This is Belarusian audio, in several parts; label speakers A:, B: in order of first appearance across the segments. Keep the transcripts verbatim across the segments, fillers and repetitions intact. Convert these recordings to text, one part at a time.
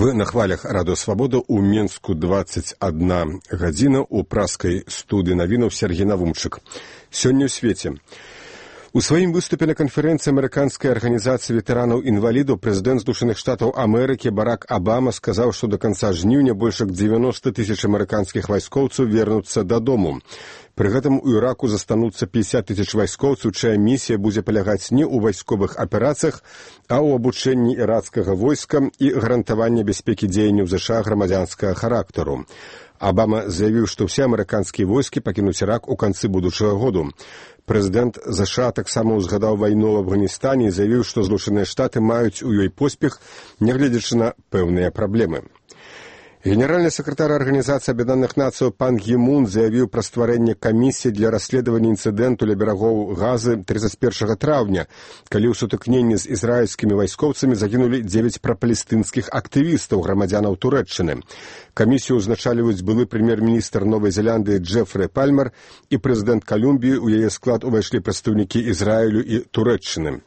A: Вы на хвалях Радио Свобода у Менску двадцать одна гадзіна у праскай студыі навінаў Сергей Навумчык. Сёння ў свеце. У сваім выступе на канферэнцыі амерыканскай арганізацыі ветэранаў-інвалідаў прэзідэнт Злучаных Штатаў Амерыкі Барак Абама сказаў, што да канца жніўня больш як дзевяноста тысяч амерыканскіх вайскоўцаў вернуцца дадому. Пры гэтым у Іраку застануцца пятьдесят тысяч вайскоўцаў, чая місія будзе палягаць не ў вайсковых аперацыях, а ў абучэнні ірацкага войска і гарантаванні бяспекі дзеянняў ЗША грамадзянскага характару. Абама заявіў, што ўсе амерыканскія войскі пакінуць Ірак у канцы будучага году. Прэзідэнт ЗША таксама ўзгадаў вайну ў Афганістане і заявіў, што Злучаныя Штаты маюць у ёй поспех, нягледзячы на пэўныя праблемы. Генеральны сакратар Арганізацыі Аб'яднаных Нацыяў пан Гі Мун заявіў пра стварэнне камісіі для расследавання інцыдэнту ля берагоў Газы тридцать первого траўня, калі ў сутыкненні з ізраільскімі вайскоўцамі загінулі дзевяць прапалестынскіх актывістаў, грамадзянаў Турэччыны. Камісію ўзначальваюць былы прэм'ер-міністр Новай Зеландыі Джэфры Пальмер і прэзідэнт Калумбіі. У яе склад увайшлі прадстаўнікі Ізраілю і Турэччыны.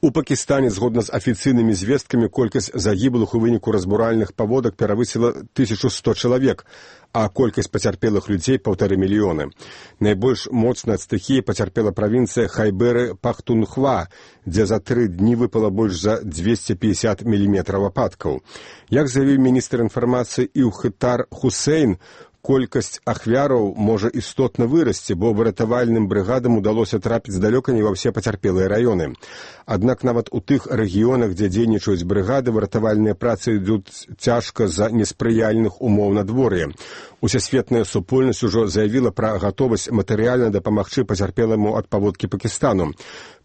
A: У Пакістане, згодна з афіцыйнымі звесткамі, колькасць загіблых у выніку разбуральных паводак перавысіла тысячу сто чалавек, а колькасць пацярпелых людзей паўтары мільёны. Найбольш моцна ад стыхіі пацярпела правінцыя Хайберы-Пахтунхва, дзе за тры дні выпала больш за двести пятьдесят міліметраў ападкаў. Як заявіў міністр інфармацыі Іўхытар Хусейн, колькасць ахвяраў можа істотна вырасці, бо выратавальным брыгадам удалося трапіць далёка не ва ўсе пацярпелыя раёны. Аднак нават у тых рэгіёнах, дзе дзейнічаюць брыгады, выратавальныя працы ідуць цяжка з-за неспрыяльных умоў надвор'я. Усесветная супольнасць ужо заявіла пра гатовасць матэрыяльна дапамагчы пацярпеламу ад паводкі Пакістану.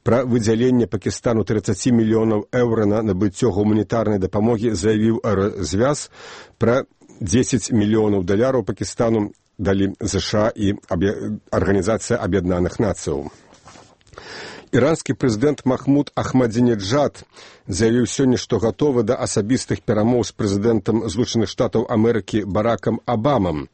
A: Пра выдзяленне Пакістану тридцать мільёнаў еўра на набыццё гуманітарнай дапамогі заявіў развяз. Пра десять мільёнаў даляраў Пакістану далі ЗША і Арганізацыя Аб'яднаных Нацыяў. Іранскі прэзідэнт Махмуд Ахмадзінеджад заявіў сёння, што гатовы да асабістых перамоў з прэзідэнтам Злучаных Штатаў Амерыкі Баракам Абамам.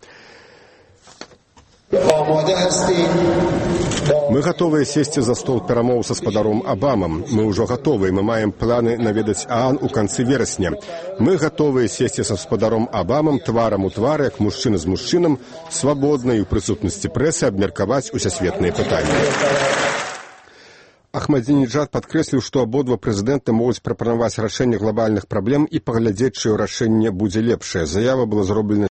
A: Мы гатовыя сесці за стол перамоў са спадаром Абамам. Мы ўжо гатовыя, мы маем планы наведаць ААН у канцы верасня. Мы гатовыя сесці са спадаром Абамам тварам у твар, як мужчына з мужчынам, свабодна і ў прысутнасці прэсы абмеркаваць усесветныя пытанні. Ахмадзінеджад падкрэсліў, што абодва прэзідэнты могуць прапанаваць рашэнне глобальных праблем і паглядзець, чыё рашэнне будзе лепшае. Заява была зроблена